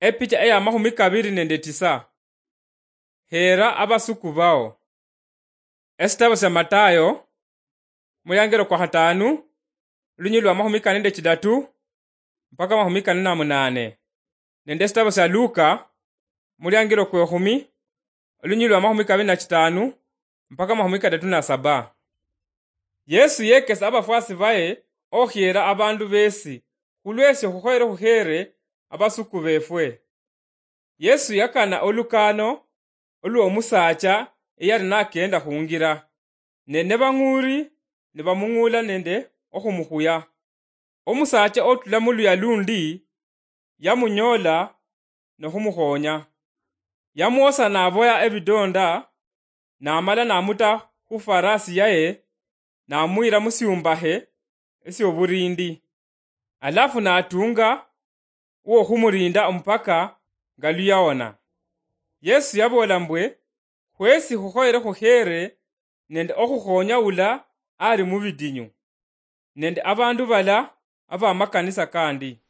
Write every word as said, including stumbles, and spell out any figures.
Epicha eya mahumi kabiri nende tisa. Hera abasuku bao. Esitabo sya Matayo, muliangiro kwa hatanu, lunyili lwa mahumi kane nende chidatu mpaka mahumi kane na munane, nende esitabo sya Luka, muliangiro kwa ehumi, lunyili lwa mahumi kabiri na chitanu mpaka mahumi kadatu na saba. Yesu yekesa abafwasi baye okhiera abandu besi khulwesio khukhoyere khuhere abasuku befwe. Yesu yakana olukano olwomusaacha eyali nakenda khungira, ne nebang'uri nibamung'ula nende okhumukhuya. Omusaacha otula muluya lundi yamunyola nokhumukhonya. Yamwosa naboya ebidonda, namala namuta khufarasi yaye, namuyira musiumbahe esioburindi. Alafu natunga uwokhumulinda omupaka nga luyawona. Yesu yaboola mbwe, khwesi khukhoyere khukhere nende okhukhonya ula ali mubidinyu, nende abandu bala abamakanisa kandi.